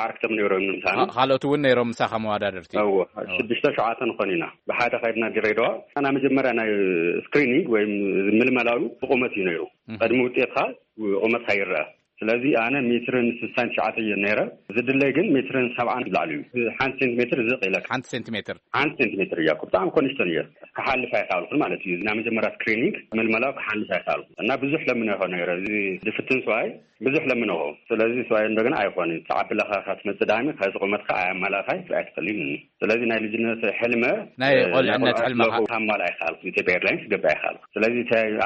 ኣዕርክቶም ነይሮም ንምሳና። ካልኦት እውን ነይሮም ምሳኻ መዋዳድርቲ። እዎ፣ ሽዱሽተ ሸውዓተ ንኾን ኢና። ብሓደ ከይድና ድሬዳዋ። ኣና መጀመርያ ናይ ስክሪኒንግ ወይም ምልመላሉ ብቁመት እዩ ነይሩ። ቀድሚ ውጤትካ ቁመትካ ይረአ። ስለዚ ኣነ ሜትርን ስሳን ትሽዓተ እየ ነይረ። ዝድለይ ግን ሜትርን ሰብዓን ላዕሊ እዩ። ሓንቲ ሴንቲሜትር ዝቕ ኢለካ። ሓንቲ ሴንቲሜትር። ሓንቲ ሴንቲሜትር እያ። ብጣዕሚ ኮንሽቶን እየ። ክሓልፍ ኣይከኣልኩን ማለት እዩ። ናይ መጀመርያ ስክሪኒንግ ምልመላው ክሓልፍ ኣይከኣልኩን እና ብዙሕ ለምነ ይኾን ነይረ። እዚ ዝፍትን ሰብኣይ ብዙሕ ለምነዎ። ስለዚ ሰብኣይ እንደገና ኣይኾን ተዓቢ ለኻ ክትመፅእ ዳሚ ከዚ ቁመትካ ኣያማላእኻይ ኣይትኽእልን። ስለዚ ናይ ልጅነት ሕልመ ናይ ቆልዕነት ሕልመኻ ካማል ኣይከኣልኩ። ኢትዮጵያ ኤርላይንስ ክገብር ኣይከኣልኩ። ስለዚ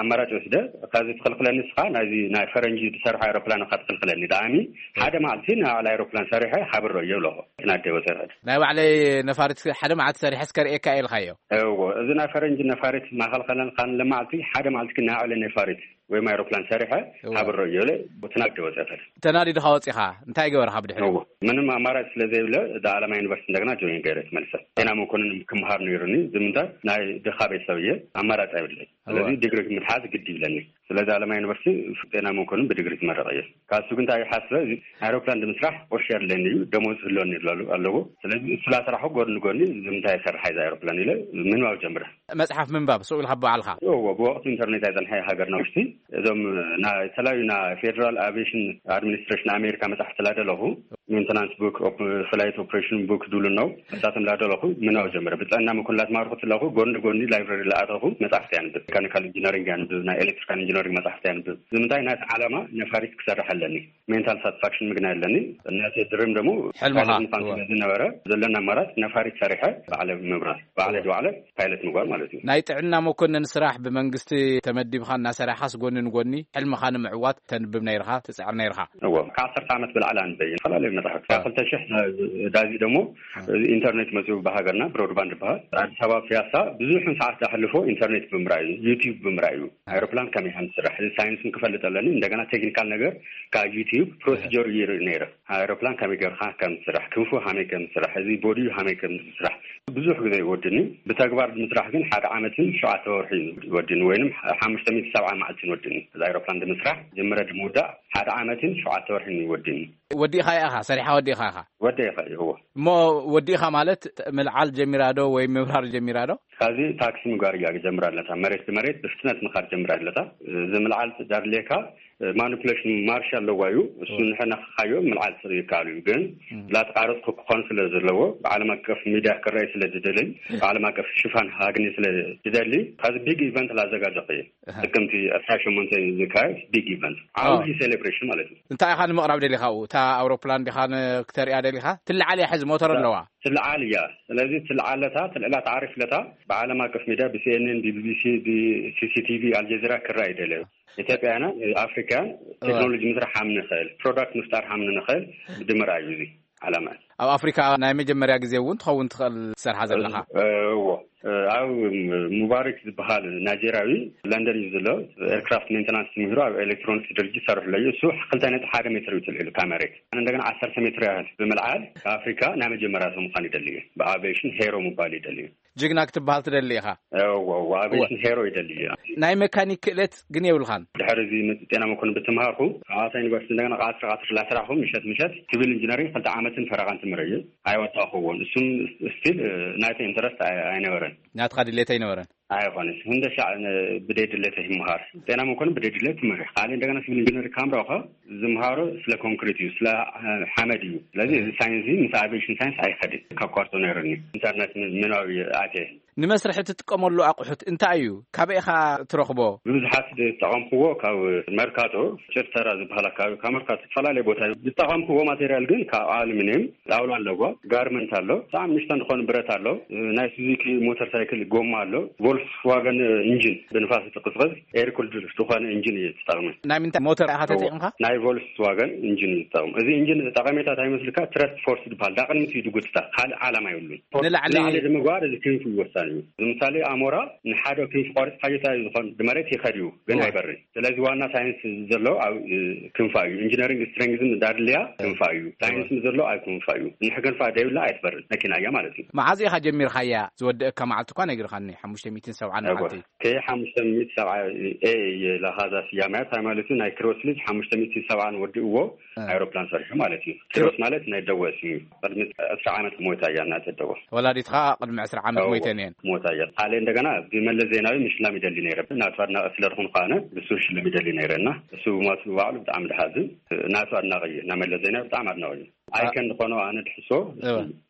ኣማራጭ ወስደ ካብዚ ትኽልክለኒ ንስኻ ናይዚ ናይ ፈረንጂ ዝሰርሖ ኣይሮፕላን ካ ትኽልክለኒ ዳኣሚ ሓደ መዓልቲ ንባዕል ኣይሮፕላን ሰሪሐ ሃብሮ እየ ብለኹ። ናደ ወሰድ ናይ ባዕለይ ነፋሪት ሓደ መዓልቲ ሰሪሐ እስከ ርእየካ እየ ኢልካዮ። እዎ፣ እዚ ናይ ፈረንጂ ነፋሪት ማኸልከለን ካን ለመዓልቲ ሓደ መዓልቲ ግን ናይ ባዕለይ ነፋሪት ወይም ኣይሮፕላን ሰሪሐ ሃብሮ እየ ብለ። ናደ ወሰድ ተናዲድኻ ወፂኻ እንታይ ገበርካ ብድሕሪ? ምንም ኣማራጭ ስለ ዘይብለ ዳኣለማ ዩኒቨርሲቲ እንደገና ጆይን ገይረ ትመልሰ። ጤና መኮንን ክምሃር ነይሩኒ። ዝምንታይ ናይ ድኻ ቤተሰብ እየ። ኣማራጭ ኣይብለይ። ስለዚ ዲግሪ ምትሓዝ ግድ ይብለኒ። ስለዚ ኣለማ ዩኒቨርሲቲ ጤና መኮንን ብዲግሪ ትመረቕ እየ። ካሱ ግን እንታይ ሓስበ? እዚ ኣይሮፕላን ንምስራሕ ቁርሺ የድለኒ እዩ፣ ደሞዝ ህልወኒ ኣለዎ። ስለዚ እሱ ላስራሑ ጎድኒ ጎድኒ ዝምንታይ ይሰርሕ ይዛ ኣይሮፕላን ኢለ ምንባብ ጀምረ። መፅሓፍ ምንባብ ስኡ ኢልካ ብባዕልካ? እዎ፣ ብወቅቱ ኢንተርኔት ኣይፀንሐ ሃገርና ውሽጢ። እዞም ና- የተለያዩ ና ፌደራል አቪዬሽን አድሚኒስትሬሽን ኣሜሪካ መፅሓፍቲ ላደለኹ ሜንተናንስ ቡክ፣ ፍላይት ኦፕሬሽን ቡክ ድብሉ ነው። እሳቶም ላደለኹ ምናው ጀመረ። ብጥዕና መኮንላት ማርኩት ለኹ ጎን ጎን ላይብረሪ ለኣተኹ መጽሓፍቲ ያንብብ። ሜካኒካል ኢንጂነሪንግ ያንብብ፣ ናይ ኤሌክትሪካል ኢንጂነሪንግ መጽሓፍቲ ያንብብ። ዝምንታይ ናት ዓላማ ነፋሪት ክሰርሕ ኣለኒ። ሜንታል ሳትስፋክሽን ምግና ኣለኒ። እናተ ድርም ደግሞ ሕልምኻ ምኳን ስለ ዝነበረ ዘለና ኣማራጭ ነፋሪት ሰሪሐ ባዕለ ምብራር ባዕለ ድባዕለ ፓይለት ምግባር ማለት እዩ። ናይ ጥዕና መኮንን ስራሕ ብመንግስቲ ተመዲብኻ እናሰራሕኻስ ጎኒ ንጎኒ ሕልምኻ ንምዕዋት ተንብብ ነይርኻ፣ ትጽዕር ነይርኻ? እዎ፣ ካብ ዓሰርተ ዓመት ብላዕሊ ኣንበየ። ዝተፈላለዩ መጽሓፍቲ። ካብ ክልተ ሽሕ ዳዚ ደግሞ ኢንተርኔት መጽኡ ብሃገርና ብሮድባንድ ይበሃል። ኣዲስ ኣበባ ፒያሳ ብዙሕ ሰዓት ኣሕልፎ ኢንተርኔት ብምራይ እዩ፣ ዩቲዩብ ብምራይ እዩ። ኣይሮፕላን ከመይ ከም ዝስራሕ፣ እዚ ሳይንስን ክፈልጥ ኣለኒ። እንደገና ቴክኒካል ነገር ካብ ዩቲዩብ ፕሮሲጀር ይርኢ ነይረ። ኣይሮፕላን ከመይ ጌርካ ከም ዝስራሕ፣ ክንፉ ሃመይ ከም ዝስራሕ፣ እዚ ቦዲዩ ሃመይ ከም ዝስራሕ ብዙሕ ግዜ ይወድኒ። ብተግባር ብምስራሕ ግን ሓደ ዓመትን ሸውዓተ ወርሒ ይወድኒ፣ ወይንም ሓሙሽተ ሚእቲ ሰብዓ መዓልትን ይወድኒ። እዚ ኣይሮፕላን ብምስራሕ ጀምረ ድምውዳእ ሓደ ዓመትን ሸውዓተ ወርሕን ይወድኒ። ወዲእኻ ኢኻ፣ ሰሪሓ ወዲእኻ ኢኻ? ወዲእኻ፣ ይህዎ። እሞ ወዲእኻ ማለት ምልዓል ጀሚራ ዶ ወይ ምብራር ጀሚራ ዶ? ካብዚ ታክሲ ምግባር እያ ጀምራ ኣለታ። መሬት ብመሬት ብፍጥነት ምኻድ ጀምራ ኣለታ። እዚ ምልዓል ዳድልየካ ማኒፕሌሽን ማርሽ ኣለዋ እዩ። እሱ ንሕና ክካዮ ምልዓል ስር ይከኣሉ እዩ። ግን ላተቃረጽኩ ክኾን ስለ ዘለዎ ብዓለም ኣቀፍ ሚድያ ክረኣይ ስለ ዝደለይ ብዓለም ኣቀፍ ሽፋን ሃግኒ ስለ ዝደሊ ካብዚ ቢግ ኢቨንት ላዘጋጀኹ እየ። ጥቅምቲ ዕስራ ሸሞንተ ዝካየድ ቢግ ኢቨንት ዓብዪ ሴሌብሬሽን ማለት እዩ። እንታይ ኢኻ ንምቕራብ ደሊኻ ኣብኡ? እታ ኣውሮፕላን ዲኻ ን- ክተሪኣ ደሊኻ? ትልዓል እያ ሕዚ ሞተር ኣለዋ። ትልዓል እያ። ስለዚ ትልዓለታ ትልዕላ ተዓሪፍለታ ብዓለም ኣቀፍ ሚድያ ብሲኤንኤን፣ ብቢቢሲ፣ ብሲሲቲቪ፣ ኣልጀዚራ ክረኣ ይደለዩ። ኢትዮጵያና ኣፍሪካን ቴክኖሎጂ ምስራሕ ሃም ንኽእል ፕሮዳክት ምፍጣር ሃም ንኽእል ድምር እዩ እዚ ዓላማ። ኣብ ኣፍሪካ ናይ መጀመርያ ግዜ እውን ትኸውን ትኽእል ትሰርሓ ዘለኻ። እዎ። ኣብ ሙባሪክ ዝበሃል ናይጀርያዊ ለንደን እዩ ዘሎ። ኤርክራፍት ሜንተናንስ ትምህሩ ኣብ ኤሌክትሮኒክስ ድርጅት ሰርሑ ኣለዩ። እሱ ክልተ ነጥቢ ሓደ ሜትር እዩ ትልዕሉ ካብ መሬት። ኣነ እንደገና ዓሰርተ ሜትር ያህል ብምልዓል ኣፍሪካ ናይ መጀመርያ ሰው ምዃን ይደሊ እዩ። ብኣቪዬሽን ሄሮ ምባል ይደሊ እዩ። ጅግና ክትበሃል ትደሊ ኢኻ። እዎ፣ እዎ፣ ኣቪዬሽን ሄሮ ይደሊ እዩ። ናይ መካኒክ ክእለት ግን የብልኻን። ድሕሪ እዚ ጤና መኮንን ብትምሃርኩ ሐዋሳ ዩኒቨርሲቲ እንደገና ቃስሪ ቃስሪ ላስራኹ ምሸት ምሸት ሲቪል ኢንጂነሪንግ ክልተ ዓመትን ፈረቓን ትምህር እዩ። ኣይወጣኹዎን። እሱም ስቲል ናይቲ ኢንተረስት ኣይ- ኣይነበረን። ናትኻ ድሌት ኣይነበረን። ኣይኾነስ። ህንደሻ ብደይ ድሌት ይምሃር። ጤና መኮንን ብደይ ድሌት ትምህር። ካልእ እንደገና ሲቪል ኢንጂነሪንግ ካምራኸ ዝምሃሮ ስለ ኮንክሪት እዩ፣ ስለ ሓመድ እዩ። ስለዚ እዚ ሳይንስ ምስ ኣቪዬሽን ሳይንስ ኣይኸድን። ካብ ኳርቶ ነይሩኒ ኢንተርኔት ምንባብ ኣትየ። ንመስርሒ ትጥቀመሉ ኣቑሑት እንታይ እዩ? ካበይ ኢኻ ትረኽቦ? ብብዝሓት ዝጠቐምክዎ ካብ መርካቶ፣ ጭርተራ ዝበሃል ኣካባቢ፣ ካብ መርካቶ ዝተፈላለየ ቦታ እዩ። ዝጠቐምክዎ ማቴሪያል ግን ካብ ኣሉሚንየም ጣውላ ኣለዎ፣ ጋርመንት ኣሎ፣ ብጣዕሚ ንእሽተን ዝኾነ ብረት ኣሎ፣ ናይ ሱዙኪ ሞተር ሳይክል ጎማ ኣሎ፣ ቮልክስዋገን ኢንጂን ብንፋስ ትቅስቀስ ኤር ኩልድ ዝኾነ ኢንጂን እዩ ዝጠቕመ። ናይ ምንታይ ሞተር ኢኻ ተጠቂምካ? ናይ ቮልክስዋገን ኢንጂን እዩ ዝጠቕም። እዚ ኢንጂን ጠቐሜታ እንታይ ይመስልካ? ትረስት ፎርስ ዝበሃል ዳቕድሚት እዩ ድጉትታ፣ ካልእ ዓላማ የብሉን። ንላዕሊ ንላዕሊ ንምግባር እዚ ክንፊ ወሳኒ እዩ። ንምሳሌ ኣሞራ ንሓደ ክንፊ ቆሪጽካዮ እንታይ ዝኾን ብመሬት ይኸድ እዩ፣ ግን እወ። ኣይበርን። ስለዚ ዋና ሳይንስ ዘሎ ኣብ ክንፋ እዩ። ኢንጂነሪንግ ስትሬንግዝን እንዳድልያ ክንፋ እዩ። ሳይንስ ዘሎ ኣብ ክንፋ እዩ። ንሕ ክንፋ ደይብላ ኣይትበርን፣ መኪና እያ ማለት እዩ። መዓዝ ኢኻ ጀሚርካያ? ዝወደአካ መዓልቲ እኳ ነጊርካኒ፣ ሓሙሽተ ሚእትን ሰብዓን እወ። መዓልቲ። ከ ሓሙሽተ ሚእቲ ሰብዓ ኤ እየ ለኻዛ ስያመያ፣ እንታይ ማለት እዩ? ናይ ክሮስ ልጅ ሓሙሽተ ሚእትን ሰብዓን ወዲእዎ እ። ኣይሮፕላን ሰሪሑ ማለት እዩ። ክሮስ ማለት ናይ ደወ ስም እዩ። ቅድሚ ዕስራ ዓመት ሞይታ እያ እናተ ደወ። ወላዲትኻ ቅድሚ ዕስራ ዓመት እወ፣ ሞይተን እየን። ሞይታ እያ። ካልእ እንደገና ብመለስ ዜናዊ ምሽላም ይደሊ ነይረ። ናቱ ኣድናቂ ስለ ዝኾንኩ ኣነ ብሱ ሽልም ይደሊ ነይረ እና እሱ ብሞቱ ባዕሉ ብጣዕሚ ድሓዝን። ናቱ ኣድናቂ እዩ። ናመለስ ዜናዊ ብጣዕሚ ኣድናቂ እዩ። ኣይከን ዝኾኖ ኣነ ድሕሶ እወ።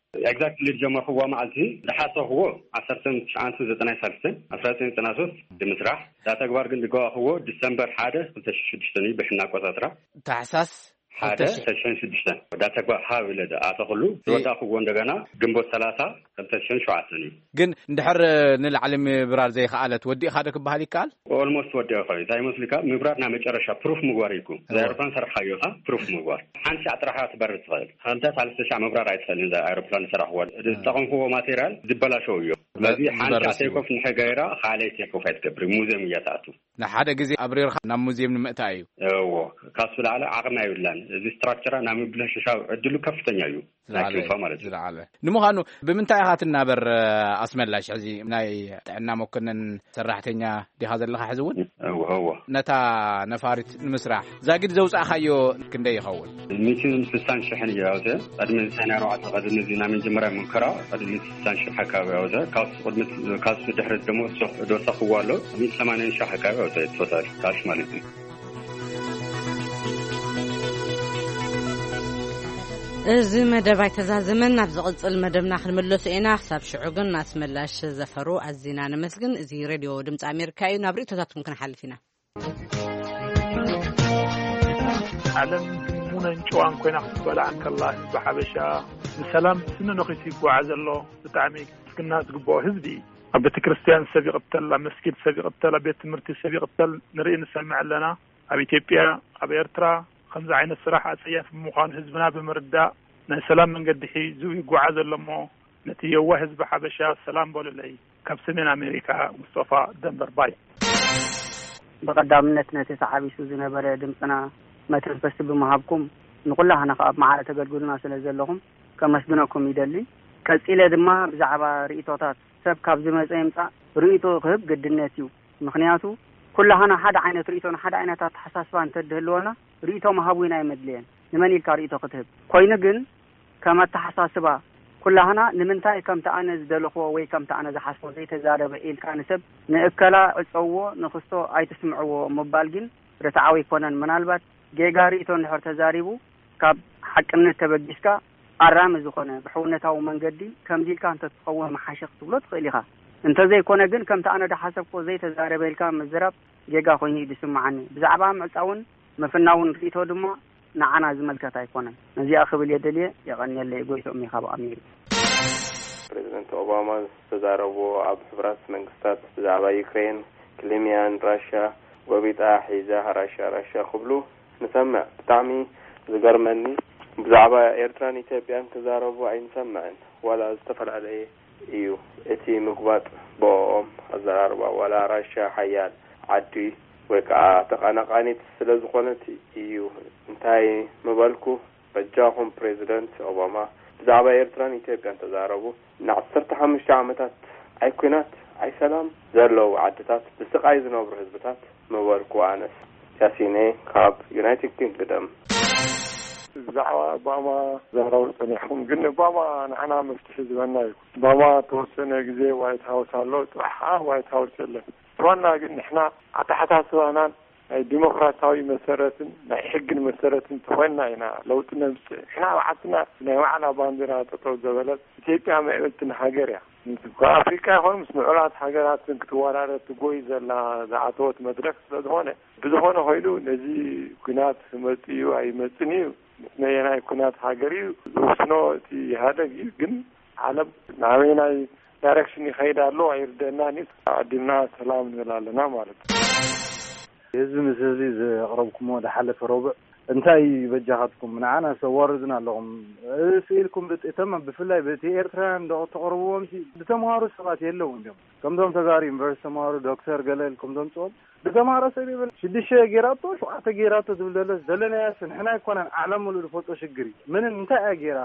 ኤግዛክትሊ ዝጀመርክዎ መዓልቲ ዝሓሰኽዎ ዓሰርተ ትሽዓን ዘጠናን ሳልስን ኣስራ ዘጠኝ ዘጠና ሶስት ብምስራሕ፣ እዛ ተግባር ግን ዝገባኽዎ ዲሰምበር ሓደ ክልተ ሽሕን ሽዱሽተን እዩ ብሕና ኣቆጻጽራ። ታሕሳስ ሓደ ክልተ ሽሕ። ክልተ ሽሕን ሽዱሽተን። እዛ ተግባር ሃብ ኢለ ዝኣተኽሉ፣ እ- ዝወዳእኽዎ እንደገና ግንቦት ሰላሳ ክልተ ሽሕን ሸውዓተን እዩ። ግን እንድሕር ንላዕሊ ምብራር ዘይከኣለት፣ ወዲእኻ ዶ ክበሃል ይከኣል? ኦልሞስት ወዲኦ ኸ እንታይ ይመስልካ? ምብራር ናይ መጨረሻ ፕሩፍ ምግባር እዩ እኮ። እዛ እወ። ኤሮፕላን ሰራሕካዮ ኢኻ፣ ፕሩፍ ምግባር። ሓንቲ ሻዕ ጥራሕ እያ ትበርር ትኽእል። ክልተ ሳልስተ ሻዕ ምብራር ኣይትኽእልን። እዛ ኤሮፕላን ዝሰራሕዋ፣ እ። ዝጠቐምክዎ ማቴሪያል ዝበላሸው እዩ። ስለዚ ሓንቲ ሻዕ ዝበርስ እዩ። ቴኮፍ ንሕገይራ፣ ካልኣይ ቴኮፍ ኣይትገብር። ሙዚየም እያ ትኣቱ። ንሓደ ግዜ ኣብሪርካ ናብ ሙዚየም ንምእታ እዩ። እዎ፣ ካብሱ ላዕሊ ዓቕሚ ኣይብላን። እዚ ስትራክቸራ ናብ ምብላሸሻ ዕድሉ ከፍተኛ እዩ። ናይ ዝለዓለ ክንፋ ማለት እዩ። ዝለዓለ። ንምዃኑ ብምንታይ ኢኻ ትናበር፣ ኣስመላሽ? ሕዚ ናይ ጥዕና መኮነን ሰራሕተኛ ዲኻ ዘለኻ ሕዚ እውን? እወ፣ እወ። ነታ ነፋሪት ንምስራሕ ዛጊድ ዘውጻእካዮ ክንደይ ይኸውን? ሚእትን ስሳን ሽሕን እዩ ኣውፅአ። ቅድሚ ሰነ ኣርባዕተ፣ ቅድሚ እዚ ናይ መጀመርያ ሙከራ፣ ቅድሚ ስሳን ሽሕ ኣካባቢ ኣውፅአ። ካብሱ ቅድሚ፣ ካብሱ ድሕሪ ደሞ ሱቕ ዶሳኽዎ ኣሎ። ሚእቲ ሰማንያን ሽሕ ኣካባቢ ኣውፅአ። ቶታል ካሽ ማለት እዩ። እዚ መደብ ኣይተዛዘመን። ናብ ዝቕጽል መደብና ክንምለሱ ኢና። ክሳብ ሽዑ ግን ኣስመላሽ ዘፈሩ ኣዚና ነመስግን። እዚ ሬድዮ ድምፂ ኣሜሪካ እዩ። ናብ ርእይቶታትኩም ክንሓልፍ ኢና። ዓለም ድሙነን ጨዋን ኮይና ክትበላዕ እንከላ፣ ህዝቢ ሓበሻ ብሰላም ስኒ ነኺሱ ይጓዓዝ ኣሎ። ብጣዕሚ ምስግና ዝግብኦ ህዝቢ እዩ። ኣብ ቤተ ክርስቲያን ሰብ ይቕተል፣ ኣብ መስጊድ ሰብ ይቕተል፣ ኣብ ቤት ትምህርቲ ሰብ ይቕተል ንርኢ ንሰምዕ ኣለና። ኣብ ኢትዮጵያ፣ ኣብ ኤርትራ ከምዚ ዓይነት ስራሕ ኣጸያፊ ምዃኑ ህዝብና ብምርዳእ ናይ ሰላም መንገዲ ሒዙ ይጓዓዝ ኣሎ እሞ፣ ነቲ የዋህ ህዝቢ ሓበሻ ሰላም በሉለይ። ካብ ሰሜን ኣሜሪካ፣ ሙስጠፋ ደንበርባይ። ብቐዳምነት ነቲ ተዓቢሱ ዝነበረ ድምጽና መተንፈሲ ብምሃብኩም፣ ንኹላህና ከኣ ኣብ ማዕረ ተገልግሉና ስለ ዘለኹም ከመስግነኩም ይደሊ። ቀጺለ ድማ ብዛዕባ ርእይቶታት ሰብ ካብ ዝመጸ ይምጻእ ርእይቶ ክህብ ግድነት እዩ። ምኽንያቱ ኩላህና ሓደ ዓይነት ርእይቶ፣ ሓደ ዓይነት ኣተሓሳስባ እንተድህልወና ርእይቶ ምሃብ እውን ኣይመድልየን። ንመን ኢልካ ርእይቶ ክትህብ? ኮይኑ ግን ከም ኣተሓሳስባ ኩላህና ንምንታይ ከምቲ ኣነ ዝደለኽዎ ወይ ከምቲ ኣነ ዝሓስቦ ዘይተዛረበ ኢልካ ንሰብ ንእከላ ዕጸውዎ፣ ንኽስቶ ኣይትስምዕዎ ምባል ግን ርትዓዊ ኣይኮነን። ምናልባት ጌጋ ርእይቶ እንድሕር ተዛሪቡ ካብ ሓቅነት ተበጊስካ ኣራሚ ዝኾነ ብሕውነታዊ መንገዲ ከምዚ ኢልካ እንተትኸውን ምሓሸ ክትብሎ ትኽእል ኢኻ። እንተዘይኮነ ግን ከምቲ ኣነ ዝሓሰብክዎ ዘይተዛረበ ኢልካ ምዝራብ ጌጋ ኮይኑ እዩ ዝስምዓኒ። ብዛዕባ ምዕጻውን ምፍናውን ርእይቶ ድማ ንዓና ዝምልከት ኣይኮነን። ነዚኣ ክብል እየ ደልየ። የቐንየለይ። ጎይትኦም እየ ካብ ኣሜሪካ። ፕሬዚደንት ኦባማ ዝተዛረብዎ ኣብ ሕቡራት መንግስታት ብዛዕባ ዩክሬን፣ ክሊሚያን ራሽያ ጎቢጣ ሒዛ ራሽያ ራሽያ ክብሉ ንሰምዕ። ብጣዕሚ ዝገርመኒ ብዛዕባ ኤርትራን ኢትዮጵያን ክዛረቡ ኣይንሰምዕን። ዋላ ዝተፈላለየ እዩ እቲ ምግባጥ ብኦም ኣዘራርባ። ዋላ ራሽያ ሓያል ዓዲ ወይ ከዓ ተቐናቓኒት ስለ ዝኾነት እዩ። እንታይ ምበልኩ? በጃኹም ፕሬዚደንት ኦባማ ብዛዕባ ኤርትራን ኢትዮጵያን ተዛረቡ። ንዓሰርተ ሓሙሽተ ዓመታት ኣይ ኲናት ኣይ ሰላም ዘለዉ ዓድታት ብስቓይ ዝነብሩ ህዝብታት ምበልኩ ኣነስ። ያሲነ ካብ ዩናይትድ ኪንግደም። ብዛዕባ ኦባማ ዛረቡ ጸኒሕኩም፣ ግን ኦባማ ንዓና መፍትሒ ዝበና እዩ። ኦባማ ተወሰነ ግዜ ዋይት ሃውስ ኣሎ፣ ጽባሕ ከዓ ዋይት ሃውስ የለን። እቲ ዋና ግን ንሕና ኣተሓሳስባናን ናይ ዲሞክራሲያዊ መሰረትን ናይ ሕግን መሰረትን ተኾይንና ኢና ለውጢ ነምፅእ። ንሕና ባዕልትና ናይ ባዕላ ባንዲራ ጠጠው ዘበለት ኢትዮጵያ ምዕብልትን ሃገር እያ። ካብ ኣፍሪቃ ይኾን ምስ ምዕራባት ሃገራትን ክትወዳደር ትጎይ ዘላ ዝኣተወት መድረክ ስለዝኾነ፣ ብዝኾነ ኮይኑ ነዚ ኩናት መፅኡ ኣይመፅን እዩ፣ ምስ ነየናይ ኩናት ሃገር እዩ ዝውስኖ እቲ ኢህኣደግ እዩ። ግን ዓለም ናበይናይ ዳይሬክሽን ይኸይድ ኣሎ ኣይርደናን እዩ። ኣዲምና ሰላም ንብል ኣለና ማለት እዩ። ህዝቢ ምስ ህዝቢ ዘቕረብኩሞ ዝሓለፈ ረቡዕ እንታይ በጃኻትኩም ንዓና ሰዋርዱና ኣለኹም ስኢልኩም ብጥእተማ ብፍላይ በቲ ኤርትራውያን ዶ ተቕርብዎም ሲ ዝተምሃሩ ሰባት የለውን እዮም። ከምዞም ተጋሩ ዩኒቨርሲቲ ተምሃሩ ዶክተር ገለ ኢልኩም ዘምፅኦም ዝተምሃረ ሰብ ይብል ሽዱሽተ ጌራቶ ሸውዓተ ጌራቶ ዝብል ዘሎ ዘለናያስ ንሕና ኣይኮነን ዓለም ሙሉእ ዝፈልጦ ሽግር እዩ። ምንም እንታይ እያ ጌራ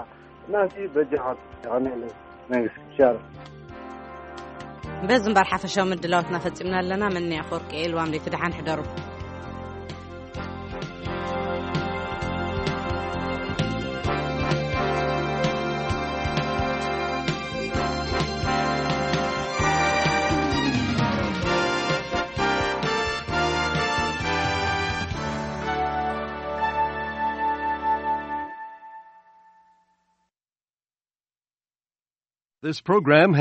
እናሲ በጃኻትኩም ይቐኒለይ መንግስቲ ሻር በዚ እምበር ሓፈሻዊ ምድላዋትና ፈፂምና ኣለና። መን ኣፈወርቂ ኤልዋም ደይቲ ደሓን ሕደሩ። This program